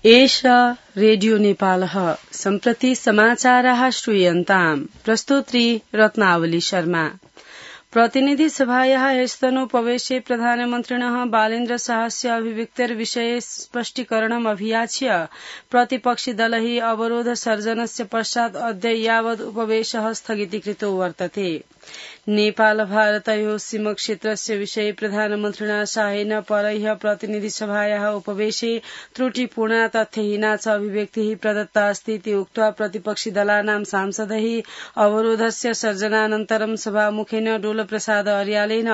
एषा रेडियो नेपालः सम्प्रति समाचाराः श्रूयन्ताम् प्रस्तुत्री रत्नावली शर्मा। प्रतिनिधि सभायाः ह्यस्तनोपवेशे प्रधानमन्त्रिणः बालेन्द्र शाहस्य अभिव्यक्तिर्विषये स्पष्टीकरणम् अभियाच्य प्रतिपक्षिदलैः अवरोध सर्जनस्य पश्चात् अद्य यावत् उपवेशः स्थगितीकृतो वर्तते। नेपाल भारतयोः सीमक्षेत्रस्य विषये प्रधानमन्त्रिणा शाहेन परह्य प्रतिनिधि सभायाः उपवेशे त्रुटिपूर्णा तथ्यहीना च अभिव्यक्तिः प्रदत्ता अस्ति इति उक्त्वा प्रतिपक्षिदलानां सांसदैः अवरोधस्य सर्जनानन्तरं सभामुखेन डोलप्रसाद अर्यालेन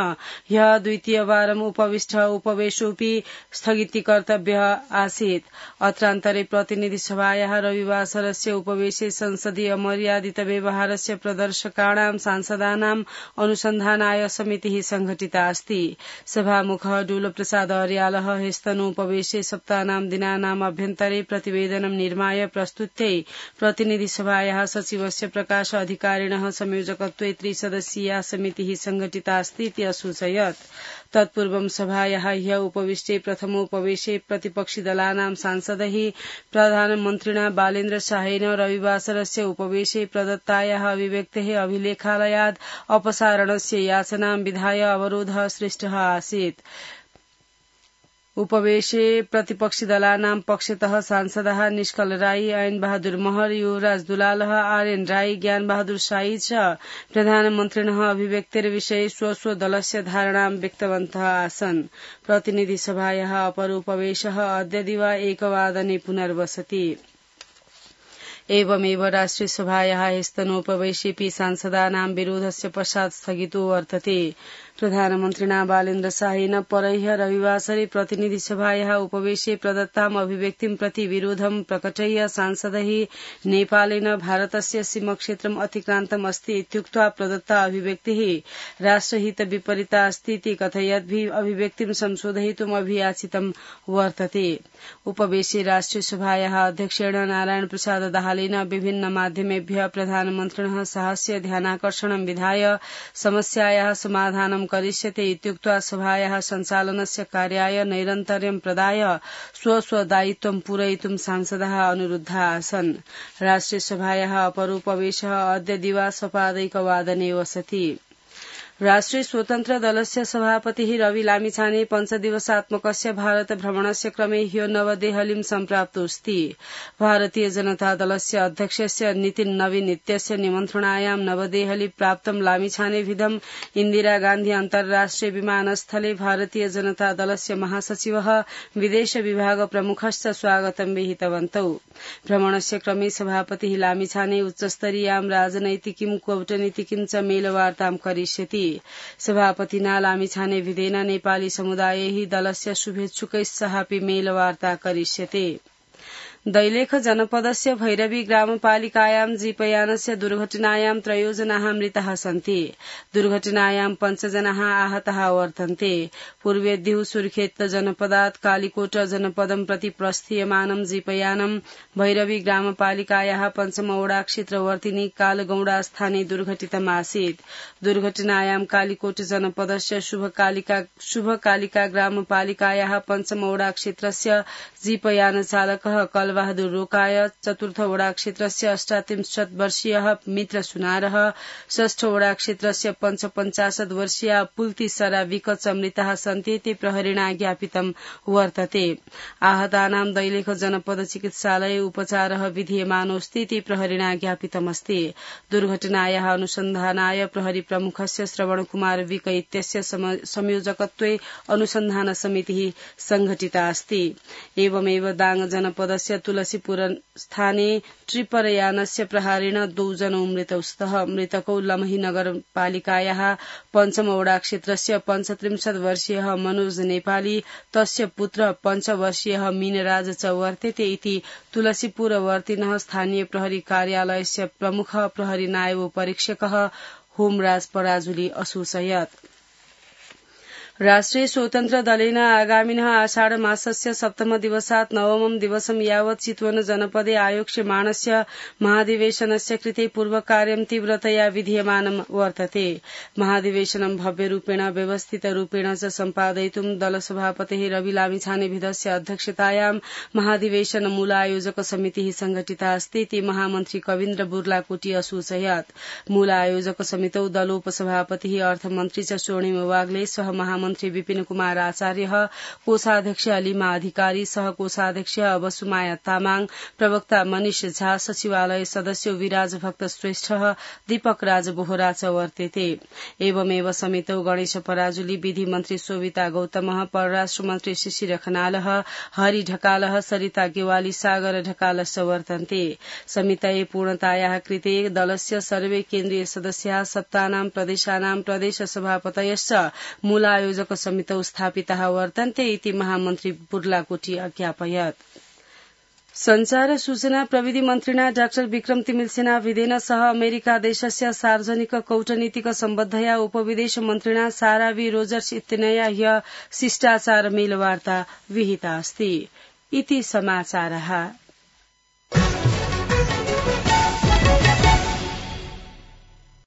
ह्यः द्वितीयवारम् उपविष्ट उपवेशोऽपि स्थगितीकर्तव्यः आसीत्। अत्रान्तरे प्रतिनिधि सभायाः रविवासरस्य उपवेशे संसदीय मर्यादित व्यवहारस्य प्रदर्शकाणां सांसदानां अनुसन्धानाय समितिः संघटिता अस्ति। सभामुखः डोलप्रसाद अर्यालः ह्यस्तनोपवेशे सप्तानां दिनानाम् अभ्यन्तरे प्रतिवेदनं निर्माय प्रस्तुत्यै प्रतिनिधि सभायाः सचिवस्य प्रकाश अधिकारिणः संयोजकत्वे त्रिसदस्यीया समितिः संघटिता अस्ति इति असूचयत्। तत्पूर्वं सभायाः ह्यः उपविष्टे प्रथमोपवेशे प्रतिपक्षिदलानां सांसदैः प्रधानमन्त्रिणा बालेन्द्र शाहेन रविवासरस्य उपवेशे प्रदत्तायाः अभिव्यक्तेः अभिलेखालयात् अपसारणस्य याचनां विधाय अवरोधः सृष्टः आसीत्। उपवेशे प्रतिपक्षिदलानां पक्षतः सांसदाः निष्कल राई, ऐन बहादुर महर, युवराज दुलालः, आर्यन राई, ज्ञान बहादुर शाही च प्रधानमन्त्रिणः अभिव्यक्तिर्विषये स्व दलस्य धारणां व्यक्तवन्तः आसन्। प्रतिनिधि सभायाः अपर उपवेशः अद्य दिवा 1 पुनर्वसति। एवमेव राष्ट्रिय सभायाः ह्यस्तनोपवेशेऽपि सांसदानां विरोधस्य पश्चात् स्थगितो वर्तते। प्रधानमन्त्रिणा बालेन्द्र शाहेन परह्य रविवासरे प्रतिनिधि सभायाः उपवेशे प्रदत्ताम् अभिव्यक्तिं प्रति विरोधं प्रकटय्य सांसदैः नेपालेन भारतस्य सीमक्षेत्रम् अतिक्रान्तम् अस्ति इत्युक्त्वा प्रदत्ता अभिव्यक्तिः राष्ट्रहित विपरीता अस्ति इति कथयद्भिः अभिव्यक्तिं संशोधयितुम् अभियाचितं वर्तते। उपवेशे राष्ट्रिय सभायाः अध्यक्षेण नारायण प्रसाद दाहालेन विभिन्न माध्यमेभ्यः प्रधानमन्त्रिणः शाहस्य ध्यानाकर्षणं विधाय समस्यायाः समाधानं करिष्यते इत्युक्त्वा सभायाः सञ्चालनस्य कार्याय नैरन्तर्यं प्रदाय स्वदायित्वं पूरयितुं सांसदाः अनुरुद्धाः आसन्। राष्ट्रिय सभायाः अपरोपवेशः अद्य दिवा 1:15 वसति। राष्ट्रिय स्वतन्त्र दलस्य सभापतिः रवि लामिछाने 5 दिवसात्मकस्य भारत भ्रमणस्य क्रमे ह्यो नवदेहलीं सम्प्राप्तोऽस्ति। भारतीय जनता दलस्य अध्यक्षस्य नितिन नवीन इत्यस्य निमन्त्रणायां नवदेहली प्राप्तं लामिछानेभिदं इन्दिरा गान्धी अन्तर्राष्ट्रिय विमानस्थले भारतीय जनता दलस्य महासचिवः विदेश विभाग प्रमुखश्च स्वागतं विहितवन्तौ। भ्रमणस्य क्रमे सभापतिः लामिछाने उच्चस्तरीयां राजनैतिकीं कूटनीतिकीं च मेलवार्तां करिष्यति। सभापतिना लामिछाने विधेन नेपाली समुदायैः दलस्य शुभेच्छुकैः सहापि मेलवार्ता करिष्यते। दैलेख जनपदस्य भैरवी ग्रामपालिकायां जीपयानस्य दुर्घटनायां 3 जनाः मृताः सन्ति। दुर्घटनायां 5 जनाः आहताः वर्तन्ते। पूर्वेद्युः सुर्खेत जनपदात् कालीकोट जनपदं प्रति प्रस्थीयमानं जीपयानं भैरवी ग्रामपालिकायाः 5 वडा क्षेत्रवर्तिनी कालगौडा स्थाने दुर्घटितम् आसीत्। दुर्घटनायां कालीकोट जनपदस्य शुभकालिका ग्रामपालिकायाः 5 वडा क्षेत्रस्य जीपयान चालकः बहादुर रोकाय, 4 वडा क्षेत्रस्य 38 वर्षीयः मित्र सुनारः, 6 वडा क्षेत्रस्य 55 वर्षीया पुल्ती सरा विकच मृताः सन्ति इति प्रहरिणा ज्ञापितं वर्तते। आहतानां दैलेख जनपद चिकित्सालये उपचारः विधीयमानोऽस्ति इति प्रहरिणा ज्ञापितमस्ति। दुर्घटनायाः अनुसन्धानाय प्रहरी प्रमुखस्य श्रवण कुमार विक इत्यस्य संयोजकत्वे अनुसन्धान समितिः संघटिता अस्ति। एवमेव दाङ जनपदस्य तुलसीपुर स्थाने ट्रिपरयानस्य प्रहारेण 2 जनौ मृतौ स्तः। मृतकौ लमही नगरपालिकायाः 5 वडा क्षेत्रस्य 35 वर्षीयः मनोज नेपाली, तस्य पुत्र 5 वर्षीयः मीनराज च वर्तेते इति तुलसीपुरवर्तिनः स्थानीय प्रहरी कार्यालयस्य प्रमुख प्रहरी नायब परीक्षकः होमराज पराजुली असूचयत्। राष्ट्रिय स्वतन्त्र दलेन आगामिनः आषाढ मासस्य सप्तम दिवसात् नवमं दिवसं यावत् चितवन जनपदे आयोक्ष्यमाणस्य महाधिवेशनस्य कृते पूर्वकार्यं तीव्रतया विधीयमानं वर्तते। महाधिवेशनं भव्यरूपेण व्यवस्थितरूपेण च सम्पादयितुं दलसभापतेः रवि लामिछानेविधस्य अध्यक्षतायां महाधिवेशन मूलायोजक समितिः संघटिता अस्ति इति महामन्त्री कविन्द्र बुर्लाकोटी असूचयत्। मूलायोजक समितौ दलोपसभापतिः अर्थमन्त्री च स्वर्णिम वाग्ले सह महामन्त्री विपिन कुमार आचार्य, कोषाध्यक्ष अलिमा अधिकारी, सह कोषाध्यक्ष बसुमाया तामाङ, प्रवक्ता मनिष झा, सचिवालय सदस्य विराज भक्त श्रेष्ठ, दीपक राज बोहरा च वर्तेते। एवमेव समितौ गणेश पराजुली, विधि मन्त्री शोभिता गौतम, परराष्ट्र मन्त्री शिशिर खनाल, हरि ढकाल, सरिता गेवाली, सागर ढकालश्च वर्तन्ते। समितये पूर्णतायाः कृते दलस्य सर्वे केन्द्रीय सदस्याः सप्तानां प्रदेशानां प्रदेश सभापतयश्च मूलायोजक समितौ स्थापिताः वर्तन्ते इति महामन्त्री बुर्लाकोटी अज्ञापयत्। संचार सूचना प्रविधि मन्त्रिणा डाक्टर विक्रम तिमिलसेना विदेन सह अमेरिका देशस्य सार्वजनिक कौटनीतिक सम्बद्धया उपविदेश मन्त्रिणा सारा वी रोजर्स इत्यनया ह्य शिष्टाचार मेलवार्ता विहिता अस्ति। इति समाचारः।